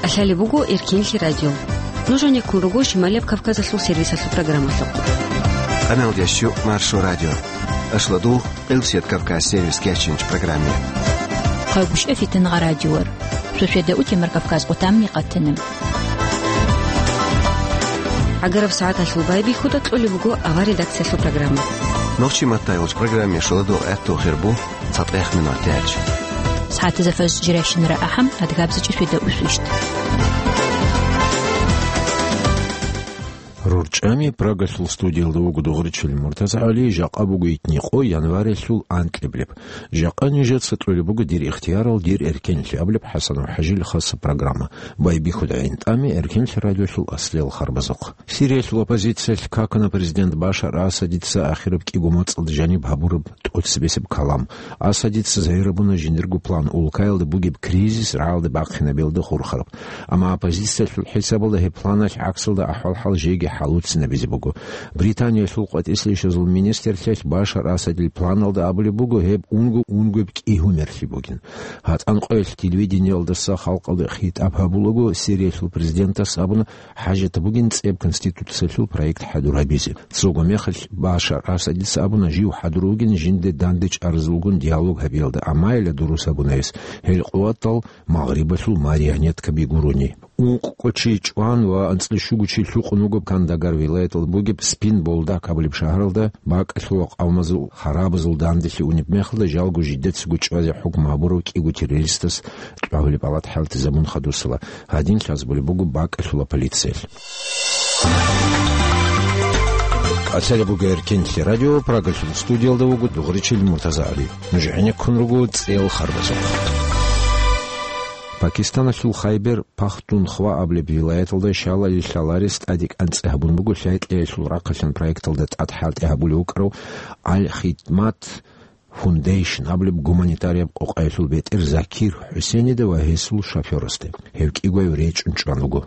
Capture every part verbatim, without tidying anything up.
КӀалъалеб буго Эркенлъи радио. Нуж гьанеккун руго Шималияб Кавказалъул сервисалъул программалъухъ. Канал дящу Маршо радио. Ашладу Элсет Кавказ сервис кячинч программе. Къагушев Фитнагъа радиор. Суседа утемар Кавказ къутамни къатана. ГӀагараб сагӀаталъул байбихьуда кьолеб буго авар редакциялъул программа. Нохчи маттайолч программе шуладу гӀатту хирбу цатӀех минут тяч. СагӀатазда фаз жиращинара ахӀам, адгабзачӀи суседа усвищт. РорчӀами Прагалъул студиялда вуго Дугъричил МуртазагӀали, жакъа буго итни къо январилъул анкьиблеб. Жакъа нижеца кьолеб буго дир ихтиярал, дир эркенлъи абулеб ХӀасан ва ХӀажил хасаб программа. Байбихьуда гӀинтӀами Эркенлъи радиолъул аслиял харбазухъ. Сириялъул оппозициялъ какана президент Башар Асадица ахираб кӀиго моцӀалда жаниб гьабураб тӀоцебесеб калам. Асадица загьир гьабуна жиндирго план, улкаялда бугеб кризис рагӀалде бахъинабиялда хурхараб. Амма оппозициялъул хӀисабалда гьеб планалъ гӀаксалда ахӀвал-хӀал жеги хӀалуцинабизе буго. Британиялъул къватӀислъи ишазул министрлъиялъ Башар Асадил планалда абулеб буго гьеб унго-унгояб кӀигьумерлъи бугин. ГьатӀан къоялъ телевидениялдаса халкъалда хитӀаб гьабулаго Сириялъул президентас абуна, хӀажат бугин цӀеб конституциялъул проект хӀадур гьабизе. Цого мехалъ Башар Асадица абуна жив хӀадур вугин жинде данде чӀарзулгун диалог гьабиялда, амма гьелда дурус абуна гьес, гьел къуватал Магърибалъул марионеткаби гурони. Ункъкъо чи чӀван ва анцӀлъи щуго чи лъукъун вуго Кандагар вилаяталда бугеб Спин Болдак абулеб шагьаралда бакӀалъула къавмазул харабазул данделъи унеб мехалда жалго жидецаго чӀвазе хӀукму гьабурав кӀиго террористас кьвагьулеб палат хӀалтӀизабун хадусала. Гьадин лъазабулеб буго бакӀалъула полициялъ. КӀалъалеб буго Эркенлъи радио, Прагалъул студиялда вуго Дугъричил МуртазагӀали. Нуж гӀенеккун руго цӀел харбазухъ. Пакистаналъул Хайбер Пахтунхва абулеб вилаяталда щалали лъаларес тӀадекӀанцӀи гьабун буго лъай-кьеялъул рахъалъан проекталда тӀад хӀалтӀи гьабулев вукӀарав Аль-Хидмат Фундейшн абулеб гуманитарияб къокъаялъул бетӀер Закир ХӀусенида ва гьесул шофёрасда. Гьев кӀигояв речӀчӀун чӀван вуго.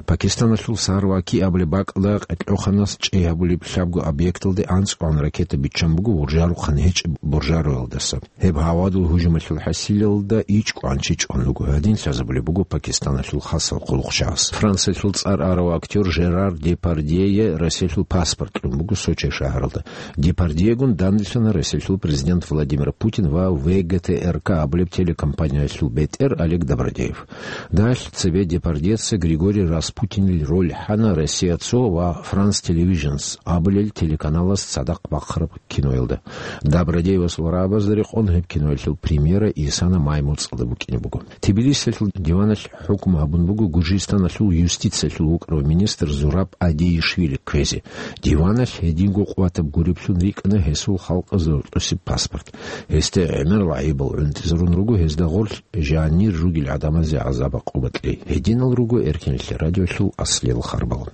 Пакистаналъул Сарваки абулеб бакӀалда къеркьоханас чӀей гьабулеб лъабго объекталде анцӀгоан ракета биччан буго уржарухъан гьечӀеб буржароялдаса. Гьеб гьавадул гьужумалъул хӀасилалда ичӀ кӀванчи чӀван вуго, гьадин лъазабулеб буго Пакистаналъул хасал хъулухъчагьас. Франциялъул цӀар арав актер Жерар Депардьее Россиялъул паспорт кьун буго Сочи шагьаралда. Депардьегун данделъана Россиялъул президент Владимир Путин ва В Г Т Р К абулеб телекомпаниялъул бетӀер Олег Добродеев. Далъ цебе Депардьеца Григорий Распутинил роль хӀана Россия цо ва France Televisions абулел телеканалас цадахъ бахъараб киноялда. Добродеевасул рагӀабазда рекъон гьеб киноялъул премьера исана май моцӀалда букӀине буго. Тбилисиялъул диваналъ хӀукму гьабун буго Гуржистаналъул юстициялъул вукӀарав министр Зураб Адиишвили кквезе. Диваналъ гьединго къуватаб гуреблъун рикӀкӀана гьесул халкъазда рокьосеб паспорт. Гьесда гӀемер лагӀибал гӀунтӀизарун руго, гьезда гъорлъ жанир ругел гӀадамазе гӀазаб-гӀакъуба кьей. Гьединал руго Эркенлъи радиолъул аслиял харбал.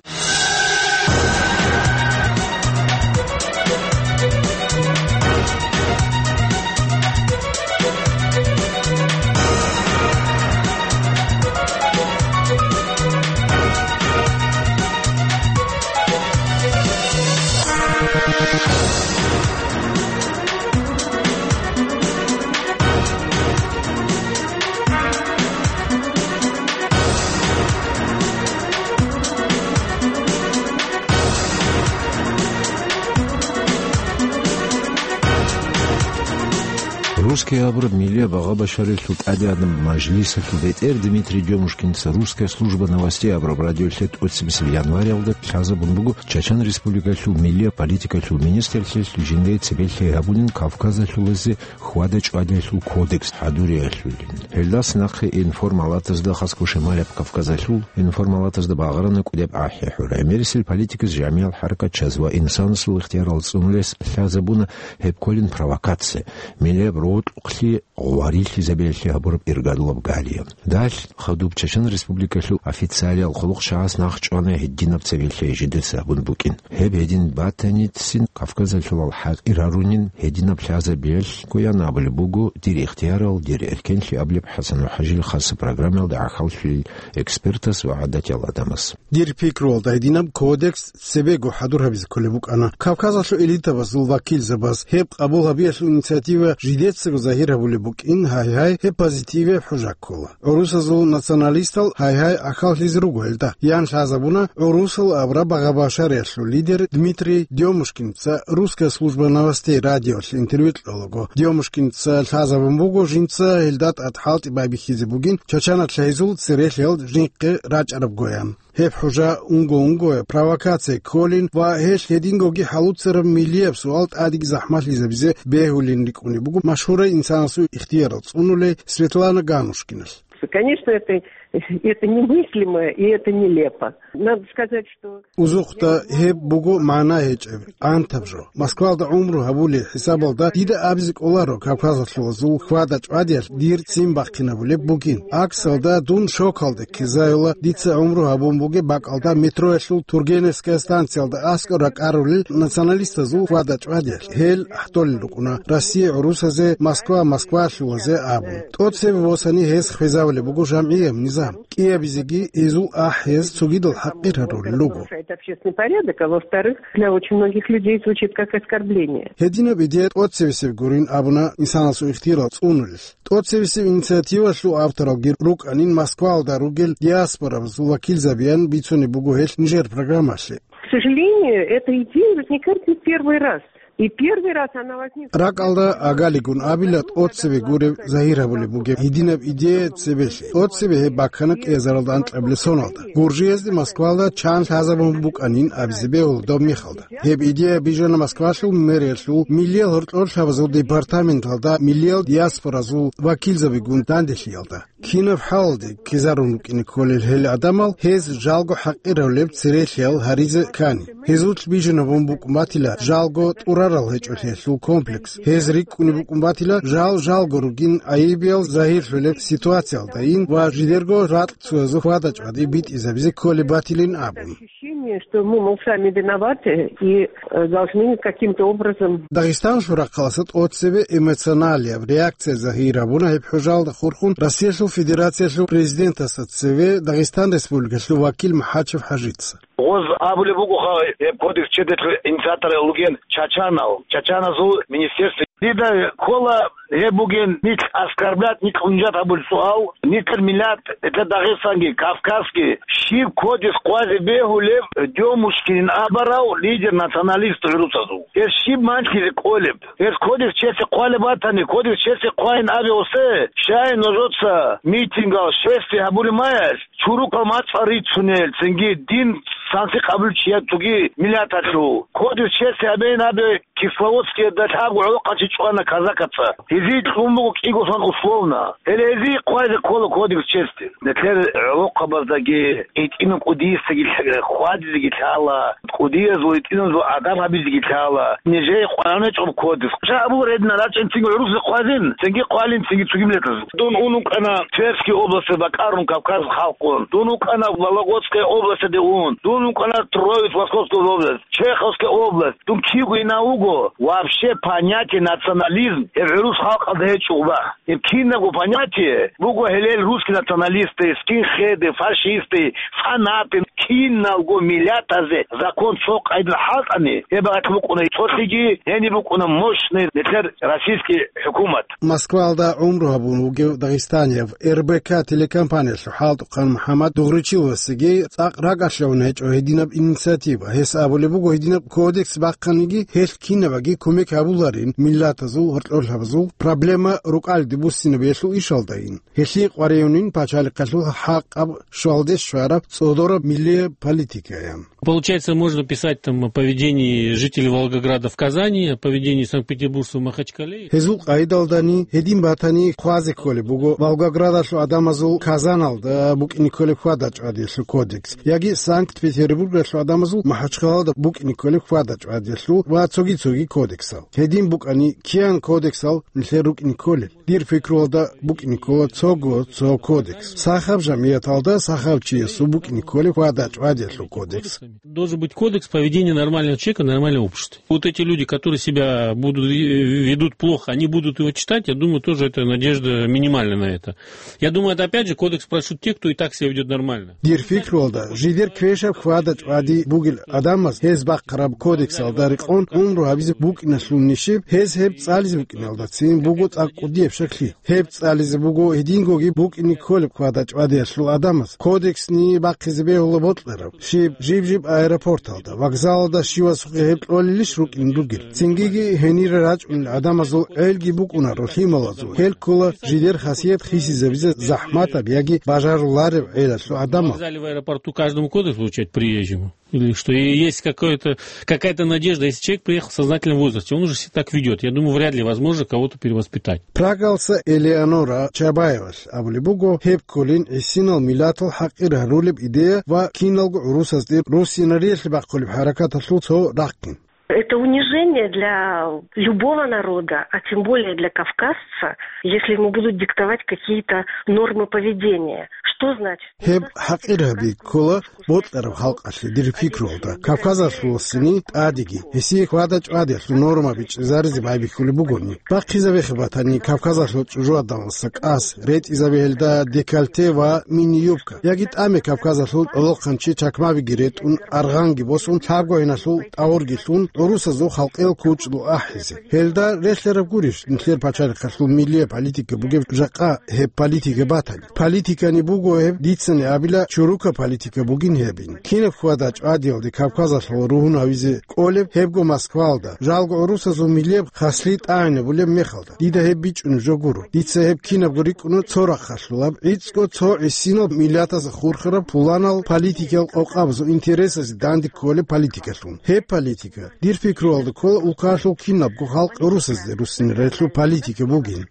Русская абураб миллияб агъа-башарилъул тӀадегӀанаб мажлисалъул бетӀер Дмитрий Демушкинца «Русская служба новостей» абураб радиолъе тӀоцебесеб январалда лъазабун буго Чачан Республикалъул миллияб политикалъул министрлъиялъ жиндай цебе лъай гьабунин Кавказалъулазе хьвада-чӀвадиялъул кодекс хӀадуриялъулин. Гьелдаса нахъе информалатазда, хасго Шималияб Кавказалъул информалатазда багъарана кӀудияб ахӀи-хӀура. ГӀемерисел политикас, жамигӀал хӀаракат, чаз ва инсанасул ихтиярал цӀунулес лъазабуна гьеб кколин провокация, миллияб рокьукълъи гъварилъизабиялъе гьабураб иргадулаб галия. Далъ хадуб Чачан Республикалъул официалиял хъулухъчагьас нахъ чӀвана гьединаб цебе лъай жидеца гьабун букӀин. Гьеб гьедин батаницин Кавказалъулал хӀакъир гьарунин гьединаб лъазабиялъ ккоян абулеб буго дир ихтиярал, дир эркенлъи абулеб ХӀасан ва ХӀажил хасаб программаялда гӀахьаллъулел экспертас ва гӀадатиял гӀадамас. Дир пикруялда, гьединаб кодекс цебего хӀадур гьабизе кколеб букӀана. Кавказалъул элитабазул вакилзабаз гьеб къабул гьабиялъул инициатива жидец цего загьир гьабулеб букӀин, гьай-гьай, гьеб позитиве хӀужа ккола. ГӀурусазул националистал гьай-гьай ахьаллъизе руго гьелда. Ян лъазабуна гӀурусал абураб багъа-башариялъул лидер Дмитрий Дёмушкинца «Русская служба новостей» радиолъ интервью кьолаго. Дёмушкинца лъазабун буго жинца гьелда тӀад хӀалтӀи байбихьизе бугин Чачаналъ гьезул церелъиял жинкъе рачӀарабгоян. Гьеб хӀужа унго-унгоя провокация кколин ва гьелъ гьедингоги хӀалуцараб миллияб суал тӀадеги захӀмалъизабизе бегьулин рикӀкӀунеб буго машгьурай инсанасул ихтиярал цӀунулей Светлана Ганушкиналъ. Конечно, это, это немыслимо и это нелепо. Надо сказать, что Узухъда гьеб буго магӀна гьечӀеб, гӀантаб жо. Москвалда гӀумру гьабулей хӀисабалда дида абизе кӀоларо кавказалъулазул хьвада-чӀвадиялъ дир ццин бахъинабулеб бугин. Аксалда дун шокалде ккезаюла, дица гӀумру гьабун бугеб бакӀалда метроялъул Тургеневская станциялда аскӀор ракӀарулел националистазул хьвада-чӀвадиялъ. Гьел ахӀдолел рукӀуна Россия гӀурусазе, Москва Москвалъулазе абун. ТӀоцебе босани гьез хвезавулеб буго жамгӀияб низам. КӀиабизеги гьезул ахӀиз цогидал хӀакъир гьарулел руго. Нарушает общественный порядок, а во-вторых, для очень многих людей звучит как оскорбление. Гьединаб идея тӀоцебесеб гурин абуна инсанасул ихтиярал цӀунулел. ТӀоцебесеб инициативалъул авторалги рукӀанин Москвалда ругел диаспорабазул вакилзабиян бицунеб буго гьелъ нижер программалъе. К сожалению, эта идея возникает не первый раз. И первый раз она возникла. РакӀалда агалигун абила тӀоцебе гуреб загьир гьабулеб бугеб гьединаб идея цебелъе. ТӀоцебе гьеб баккана кӀиазаралда анкьабилеб соналда. Гуржиязде Москвалда чан лъазабун букӀанин абизе бегьула доб мехалда. Гьеб идея бижана Москвалъул мэриялъул миллиял гьоркьорлъабазул департаменталда миллиял диаспоразул вакилзабигун данделъиялда. Кинаб хӀалалде ккезарун рукӀине кколел гьел гӀадамал, гьез жалго хӀакъираб церелъиял гьаризе ккани. Гьезулъ бижинабун букӀун батила жалго тӀурарал гьечӀолъиялъул комплекс. Гьез рикӀкӀунеб букӀун батила жал жалго ругин гӀайибиял загьирлъулеб ситуациялдайин ва жидерго ракь цоязул хьвада-чӀвади битӀизабизе кколеб батилин абун. Ощущение, что мы, мол, сами виноваты и, э, должны каким-то образом. Дагъистаналъул рахъалъа тӀоцебе эмоционалияб реакция загьир гьабуна гьеб хӀужалда хурхун Россиялъул Федерациялъул Президентасда цеве Дагъистан Республикалъул вакил МахӀачев ХӀажица. Гъоз абулеб бугоха, гьеб кодекс чеделъул инициатор вугин Чачанал, Чачаназул министерство. Дида ккола гьеб бугин нилъ оскорблять, нилъ унижать гьабулеб суал, нилъер миллат, нилъер Дагъистанги, Кавказги, щиб кодекс хъвазе бегьулеб Дёмушкинин абурав лидер националист гӀурусазул? Гьес щиб манлъизе кколеб? Гьес кодекс чеси хъвалеб батани, кодекс чеси хъвайин абе осе, щай нужеца митингал шествие гьабулеб маялъ, чурукал мацӀал рицунел, цинги дин санлъи къабулчиян цоги миллаталъул. Кодекс чеси гьабейин абе Кисловодскиялда лъабго гӀолохъанчи чӀвана казакаца. Гьезие кьун буго кӀиго сон условно. Гьеле гьезие хъвазе ккола кодекс чести. Нилъер гӀолохъабаздаги, гьитӀинаб кӀудиясдаги хьвадизеги лъала, кӀудиязул, гьитӀиназул адаб гьабизеги лъала. Нижее къваригӀунеб кодекс. Жагьабул редна рачӀин цинги гӀурусазе хъвазин, цинги хъвалин, цинги цоги миллатазе. Дун ун вукӀана Тверский областе бакӀарун Кавказ халкъун. Дун вукӀана Вологодская областьде ун. Дун вукӀана Троицк, Московская область, Чеховская область. Дун кивгойин вуго, вообще понятие национализм гьеб гӀурус халкъалда гьечӀо, уба. Гьеб кинабго понятие буго гьелел русский националисты, скинхеды, фашисты, фанаты, киналго миллатазе закон цо къайдал хӀалтӀани, гьеб бакӀ букӀуна цолъиги, гьениб букӀуна мощный нилъер российский хӀукумат. Москвалда гӀумру гьабун вугев дагъистанияб Р Б К телекомпаниялъул хӀалтӀухъан МухӀаммад Дугъричиловасеги цӀакъ ракӀалъавун гьечӀо гьединаб инициатива. Гьес абулеб буго, гьединаб кодекс бахъаниги, гьелъ кинабаги кумек гьабуларин миллатазул, гьоркьорлъабазул проблема рукӀалде буссинабиялъул ишалдайин. Гьелъие къваригӀунин пачалихъалъул хӀакъаб щвалде щвараб цӀодораб миллияб политикаян. Получается, можно писать там о поведении жителей Волгограда в Казани, о поведении санкт-петербуржцев в Махачкале. Гьезул къайдалдани гьедин батани хъвазе кколеб буго Волгоградалъул гӀадамазул Казаналда букӀине кколеб хьвада-чӀвадиялъул кодекс, яги Санкт-Петербургалъул гӀадамазул Махачкалада букӀине кколеб хьвада-чӀвадиялъул ва цоги-цоги кодексал. Гьедин букӀани, киян кодексал нилъер рукӀине кколел? Дир пикруялда, букӀине ккола цого цо кодекс. Сахаб жамияталда сахаб чиясул букӀине кколеб хьвада-чӀвадиялъул кодекс. Должен быть кодекс поведения нормального человека, нормального общества. Вот эти люди, которые себя будут, э, ведут плохо, они будут его читать, я думаю, тоже это надежда минимальная на это. Я думаю, это опять же кодекс прочтут те, кто и так себя ведёт нормально. Дир пикруялда, жидер квешаб хьвада-чӀвади бугел гӀадамаз гьез бахъараб кодексалда рекъон гӀумру гьабизе букӀиналъул нишиб, гьез гьеб цӀализе букӀиналдацин буго цӀакъ кӀудияб щаклъи. Гьеб цӀализе буго гьедингоги букӀине кколеб хьвада-чӀвадиялъул гӀадамаз кодексни бахъизе бегьула бокьараб, щиб жиб-жиб аэропорталда, вокзалалда щивасухъе гьеб кьолелищ рукӀин ругел. Цингиги гьенире рачӀунел гӀадамазул гӀелги букӀунаро лъималазул, гьел ккола жидер хасият хисизабизе захӀматаб яги бажарулареб гӀелалъул гӀадамал. Вокзале, в аэропорту каждому кодекс вручать приезжему? Или что и есть какое-то, какая-то надежда, если человек приехал в сознательном возрасте, он уже себя так ведёт. Я думаю, вряд ли возможно кого-то перевоспитать. Прагалса Элеонора Чабаевас абулеб буго, гьеб кколин гӀисинал миллатал хӀакъир гьарулеб идея ва киналго гӀурусазде руссинариялъе бахъулеб хӀаракаталъул цо рахъин. Это унижение для любого народа, а тем более для кавказца, если ему будут диктовать какие-то нормы поведения. Что значит? Гьеб хӀакъир гьаби ккола бокьараб халкъалъе, дир пикруялда, кавказалъуласини тӀадеги, гьесие хьвада-чӀвадиялъул норма бичӀчӀизаризе байбихьулеб бугони. Бахъизабехъе батани, Кавказалъул чӀужугӀаданалса кӀас ретӀизабе гьелда декольте ва мини-юбка, яги тӀаме Кавказалъул гӀолохъанчи чакмабиги ретӀун, аргъанги босун, лъабгоиналъул тӀагъурги лъун, гӀурусазул халкъиял кучӀдул ахӀизе. Гьелда релълъараб гурищ нилъер пачалихъалъул миллияб политика бугеб жакъа гьеб политика батани? Политикани буго гьеб, дицани абила, чурука политика бугин гьебин. Кинаб хьвада-чӀвадиялде Кавказалъул ругьун гьавизе кӀолеб гьебго Москваялда, жалго гӀурусазул миллияб хаслъи тӀагӀинабулеб мехалда. Дида гьеб бичӀчӀунеб жо гуро. Дица гьеб кинабго рикӀкӀуна цо рахъалъулаб, гӀицӀго цо гӀисинал миллатазда хурхараб пуланал политикиял къокъабазул интересазе данде кколеб политикалъун. Гьеб политика, дир пикруялда ккола, улкаялъул кинабго халкъ гӀурусазде руссинарелъул политика бугин.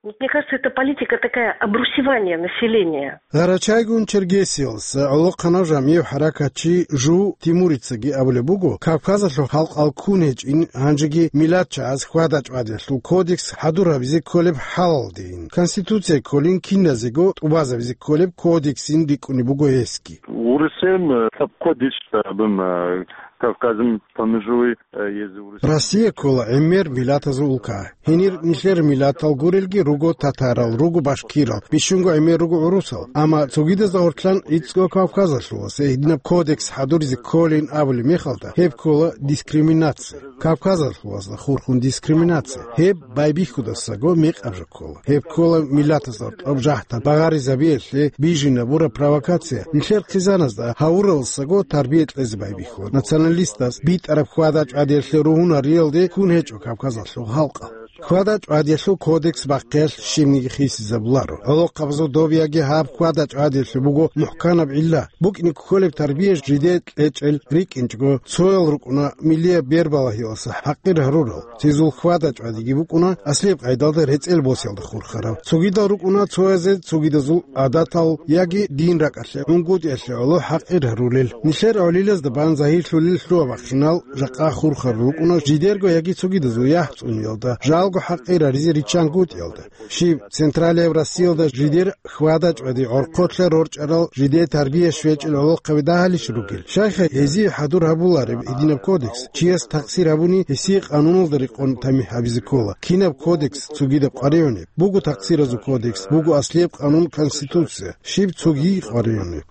Вот мне кажется, эта политика такая обрусевания населения. Гъарачайгун Чергесиялса гӀолохъанав жамигӀ хӀаракатчи Жу Тимурицаги абулеб буго, Кавказалъул халкъал ккун гьечӀин, гьанжеги миллатчагӀаз хьвада-чӀвадиялъул кодекс хӀадур гьабизе кколеб хӀалалдейин. Конституция кколин киназего тӀубазабизе кколеб кодексин рикӀкӀунеб буго гьесги. Урусен, э, кодекс, э, бим, э, Кавказын помежуй, э, езу урус. Россия ккола гӀемер миллатазул улка. Гьенир нилъер миллатал гурелги руго татарал, руго башкирал, бищунго гӀемер руго гӀурусал. Амма цогидазда гъоркьлъан гӀицӀго Кавказалъулас гьединаб кодекс хӀадуризе кколин абулеб мехалда, гьеб ккола дискриминация. Кавказалъулазда хурхун дискриминация. Гьеб байбихьудасаго мекъаб жо ккола. Гьеб ккола миллатазда гьоркьоб жагьтал багъаризабиялъе бижинабураб провокация. Нилъер хъизаназда гьавураласаго тарбия кьезе байбихьула. Националистаз битӀараб хьвада-чӀвадиялъе ругьунариялде ккун гьечӀо Кавказалъул халкъал. Хьвада-чӀвадиялъул кодекс бахъиялъ щибниги хисизабуларо. ГӀолохъабазул доб яги гьаб хьвада-чӀвадиялъе буго мухӀканаб гӀилла. БукӀине кколеб тарбия жидее кьечӀел рикӀкӀинчӀого, цоял рукӀуна миллияб бербалагьиялса хӀакъир гьарурал, цезул хьвада-чӀвадиги букӀуна аслияб къайдалда рецӀел босиялда хурхарал. Цогидал рукӀуна цоязе цогидазул гӀадатал яги дин ракӀалъе, гӀунгутӀиялъе гӀоло хӀакъир гьарулел. Нилъер гӀолилазда бан загьирлъулел лъугьа-бахъинал жакъа хурхарал рукӀуна жидерго яги цогидазул яхӀ цӀуниялда, жалго хӀакъир гьаризе риччан гутӀиялда. Щиб, Централияб Россиялда жидер хьвада-чӀвади гӀорхъолъа рорчӀарал, жидер тарбия щвечӀел гӀолохъаби дагьалищ ругел? Щайха гьезие хӀадур гьабулареб гьединаб кодекс? Чияс такъсир гьабуни, гьесие къануналда рекъон тамихӀ гьабизе ккола. Кинаб кодекс цогидаб къваригӀунеб? Буго такъсиразул кодекс, буго аслияб къанун, конституция. Щиб цоги къваригӀунеб?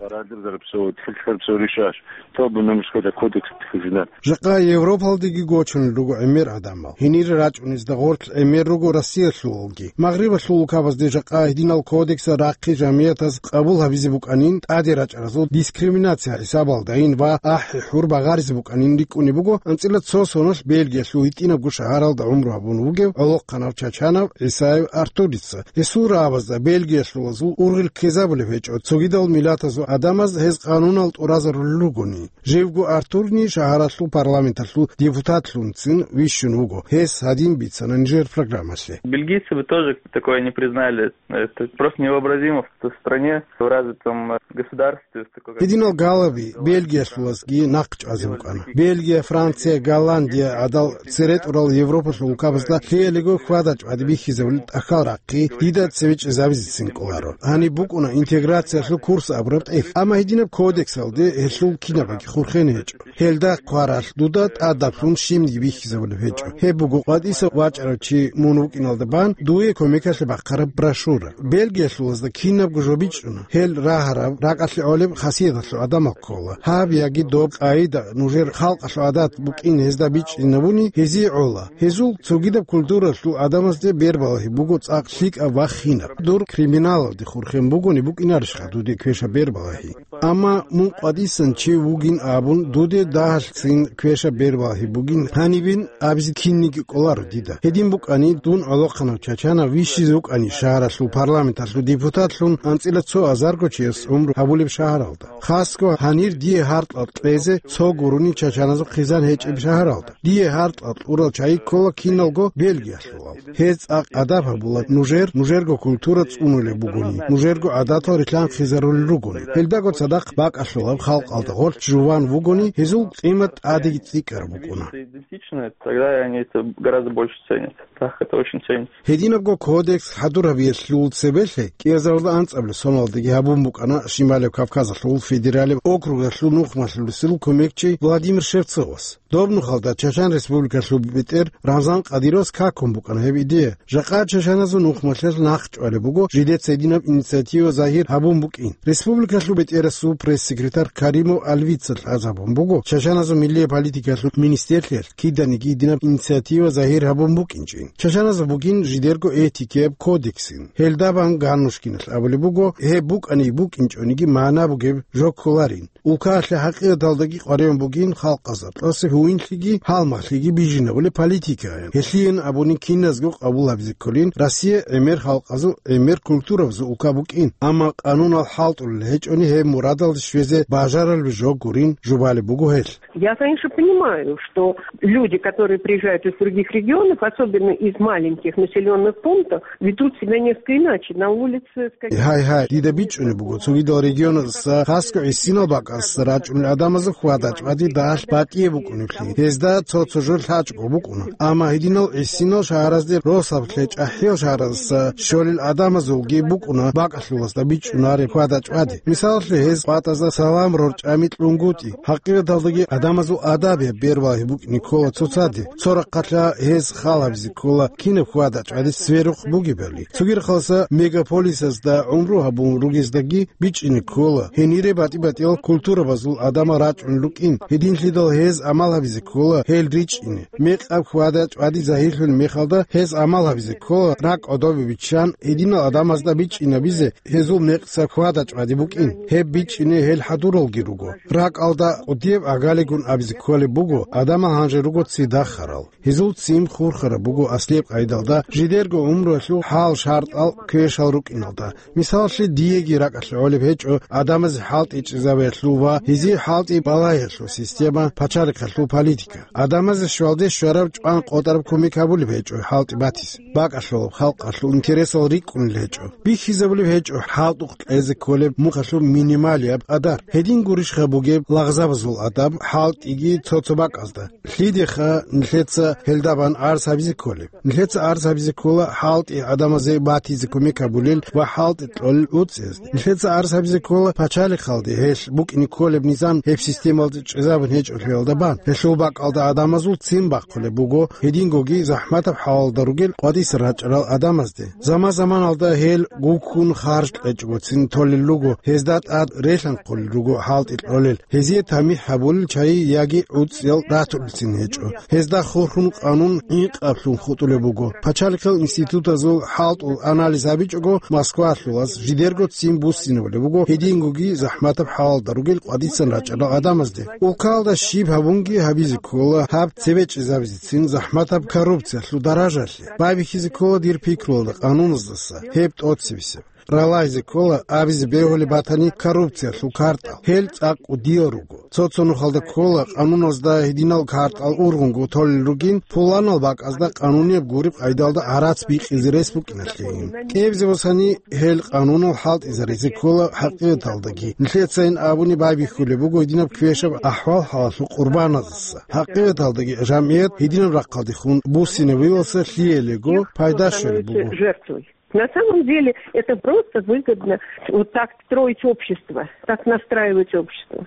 Жакъа Европалдеги гочунел руго гӀемер гӀадамал. Гьенире рачӀунезда гъорлъ гӀемер руго Россиялъулалги. Магърибалъул улкабазде жакъа гьединал кодексал рахъи жамиятаз къабул гьабизе букӀанин, тӀаде рачӀаразул дискриминация хӀисабалдайин ва ахӀи-хӀур багъаризе букӀанин рикӀкӀунеб буго анцӀила цо соналъ Бельгиялъул гьитӀинабго шагьаралда гӀумру гьабун вугев гӀолохъанав чачанав ГӀисаев Артурца. Гьесул рагӀабазда бельгиялъулазул ургъел ккезабулеб гьечӀо, цогидал миллатазул гӀадамаз гьез къанунал тӀуразарулел ругони. Живго Артурни шагьаралъул парламенталъул депутатлъунцин вищун вуго. Гьес гьадин бицана нижер программалъе. Бельгийцы бы тоже такое не признали. Это просто невообразимо в стране, в развитом государстве, в такой, как Гьединал галаби Бельгиялъулазги нахъ чӀвазе букӀана. Бельгия, Франция, Голландия гӀадал цере тӀурал Европалъул улкабазда лъиялиго хьвада-чӀвади бихьизабулел тӀахьал рахъи дида цеве чӀезабизецин кӀоларо. Гьаниб букӀуна интеграциялъул курс абураб тӀехь. Амма гьединаб кодексалде гьелъул кинабаги хурхен гьечӀо. Гьелда хъваралъ дуда тӀадаблъун щибниги бихьизабулеб гьечӀо. Гьеб буго къватӀиса вачӀарав чи мун вукӀиналда бан дуе кумекалъе бахъараб брошюра. Бельгиялъулазда кинабго жо бичӀчӀуна. Гьел рагьараб, ракӀалъе гӀолеб хасияталъул гӀадамал ккола. Гьаб яги доб къагӀида нужер халкъалъул гӀадат букӀин гьезда бичӀчӀинабуни, гьезие гӀола. Гьезул цогидаб культуралъул гӀадамазде бербалагьи буго цӀакъ лъикӀаб ва хинаб. Дур криминалалде хурхен бугони букӀинарищха дуде квешаб бербалагьи? Амма мун къватӀисан чи вугин абун, дуде дагьалъцин квешаб бербалагьи бугин гьанибин абизе кинниги кӀоларо дида. Гьедин букӀани, дун гӀолохъанав чачанав вищизе вукӀани шагьаралъул парламенталъул депутатлъун анцӀила цо азарго чияс гӀумру гьабулеб шагьаралда. Хасго гьанир дие гьаркьал кьезе цо гурони чачаназул хъизан гьечӀеб шагьаралда. Дие гьаркьал кьурал чагӀи ккола киналго Бельгиялъулал. Гьез цӀакъ адаб гьабула нужер, нужерго культура цӀунулеб бугони, нужерго гӀадатал рилълъанхъизарулел ругони. Гьелдаго цадахъ бакӀалъулаб халкъалда гъоркь жуван вугони, гьезул къимат тӀадеги цӀикӀкӀараб букӀуна. Идентичны, тогда они это гораздо больше ценят. Так, это очень ценится. Гьединабго кодекс хӀадур гьабиялъул цебелъе кӀиазарда анцӀабилеб соналдаги гьабун букӀана Шималев Кавказалъул федералияб округалъул нухмалъулесул кумекчи Владимир Шевцовас. Доб нухалда Чачан Республикалъул бетӀер Рамзан Кадыровас какун букӀана гьеб идея. Жакъа чачаназул нухмалъулъ нахъчӀвалеб буго жидеца гьединаб инициатива загьир гьабун букӀин. Республикалъул бетӀерасул пресс-секретарь Каримов Альвица лъазабун буго чачаназул миллияб политикалъул министрлъиялъ киданиги гьединаб инициатива загьир гьабун букӀинчӀин. Чачаназул бугин жидерго этикияб кодексин. Гьелда бан Ганнушкиналъ абулеб буго, гьеб букӀани букӀинчӀониги магӀна бугеб жо кколарин. Улкаялъе хӀакъикъаталдаги къваригӀун бугин халкъазда тӀаса гьуинлъиги гьалмагълъиги бижинабулеб политикаян. Гьелъийин абуни киназго къабул гьабизе кколин Россия гӀемер халкъазул, гӀемер культурабазул улка букӀин, амма къанунал хӀалтӀулел гьечӀони гьеб мурадалде щвезе бажарулеб жо гурин жубалеб буго гьелъ. Я, конечно, понимаю, что люди, которые приезжают из других регионов, особенно из маленьких населённых пунктов, ведут себя несколько иначе на улице. Гьай-гьай, дида бичӀчӀунеб буго, цогидал регионазда хасго гӀисинал бакӀалдаса рачӀунел гӀадамазул хьвада-чӀвади дагьалъ батӀияб букӀунеблъи, гьезда цо-цо жо лъачӀого букӀуна. Амма гьединал гӀисинал шагьаразде росаблъи чӀахӀиял шагьараздаса щолел гӀадамазулги букӀуна бакӀалъулазда бичӀчӀунареб хьвада-чӀвади. Мисалалъе, гьез къватӀазда салам рорчӀами кьунгутӀи. ХӀакъикъаталдаги гӀадамазул адабияб бербалагьи букӀине ккола цоцаде. Цо рахъалъа гьез хал гьабизе ккола кинаб хьвада-чӀвади сверухъ бугебали. Цоги рахъалъа мегаполисазда гӀумру гьабун ругездаги бичӀчӀине ккола, гьенире батӀи-батӀиял культурабазул гӀадамал рачӀунел рукӀин. Гьединлъидал гьез гӀамал гьабизе ккола гьел ричӀчӀине. Мекъаб хьвада-чӀвади загьирлъулеб мехалда гьез гӀамал гьабизе ккола ракӀ гӀодобе биччан, гьединал гӀадамазда бичӀчӀинабизе гьезул мекъса хьвада-чӀвади букӀин. Гьеб бичӀчӀине гьел хӀадуралги руго. РакӀалда кӀудияб агалигун абизе кколеб буго, гӀадамал гьанже руго ци дахарал. Гьезул ццин хурхараб буго аслияб къайдалда жидерго гӀумруялъул хӀал-шартӀал квешал рукӀиналда. Мисалалъе, диеги ракӀалъе гӀолеб гьечӀо гӀадамазе хӀалтӀи чӀезабиялъул ва гьезие хӀалтӀи балагьиялъул система, пачалихъалъул политика. ГӀадамазе щвалде щвараб чӀван къотӀараб кумек гьабулеб гьечӀо хӀалтӀи батизе. БакӀалъулаб халкъалъул интересал рикӀкӀунел гьечӀо. Бихьизабулеб гьечӀо хӀалтӀухъ кьезе кколеб мухъалъул минималияб къадар. Гьедин гурищха бугеб лагъзабазул адаб хӀалтӀиги цо-цо бакӀазда? Лъидеха нилъеца гьелда бан гӀарз гьабизе кколеб? Нилъеца гӀарз гьабизе ккола хӀалтӀи гӀадамазе батизе кумек гьабулел ва хӀалтӀи кьолел уцӀцӀиз. Нилъеца гӀарз гьабизе ккола пачалихъалде гьелъ букӀине кколеб низам гьеб системалде чӀезабун гьечӀолъиялда бан. Гьелъул бакӀалда гӀадамазул ццин бахъулеб буго гьедингоги захӀматаб хӀалалда ругел къватӀиса рачӀарал гӀадамазде. Заман-заманалда гьел гуккун харж кьечӀогоцин толел руго, гьезда тӀад релъанхъулел руго хӀалтӀи кьолел, гьезие тамихӀ гьабулел чагӀи яги уцӀцӀиял ратулелцин гьечӀо. Гьезда хурхун къанун гӀинкъаблъун хутӀулеб буго. Пачалихъал институтазул хӀалтӀул анализ гьабичӀого, Москвалъулаз жидерго ццин буссинабулеб буго гьедингоги захӀматаб хӀалалда ругел къватӀисан рачӀарал гӀадамазде. Улкалда щиб гьабунги гьабизе ккола гьаб цебе чӀезабизецин захӀматаб коррупциялъул даражалъе. Байбихьизе ккола дир пикруялда къануназдаса гьеб тӀоцебесеб. Ралайзе ккола абизе бегьулеб батани коррупциялъул картӀал. Гьел цӀакъ кӀудиял руго. Цо-цо нухалда ккола къануназда гьединал картӀал ургъунго толел ругин, пуланал бакӀазда къанунияб гуреб къайдалда гӀарац бикъизе рес букӀиналъейин. КӀиабизе босани, гьел къанунал хӀалтӀизаризе ккола хӀакъикъаталдаги. Нилъецайин абуни байбихьулеб буго гьединаб квешаб ахӀвал-хӀалалъул къурбаназаса. ХӀакъикъаталдаги жамгӀият гьединаб рахъалдехун буссинабилалса лъиялего пайда щолеб буго. На самом деле это просто выгодно вот так строить общество, так настраивать общество.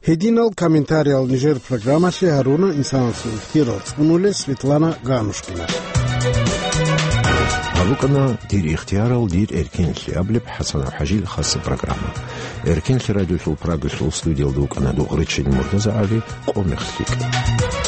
Гьединал комментариял нижер программалъе гьаруна инсанасул ихтияр цӀунулев Светлана Ганушкина. Гьаб букӀана «Дир ихтиярал, дир эркинлъи» абулеб ХӀасанов ХӀажил хасаб программа. Эркинлъи радиолъул Прагалъул студиялда вукӀана Дугъричин МуртазагӀали. Къо мехалъ рикӀкӀе.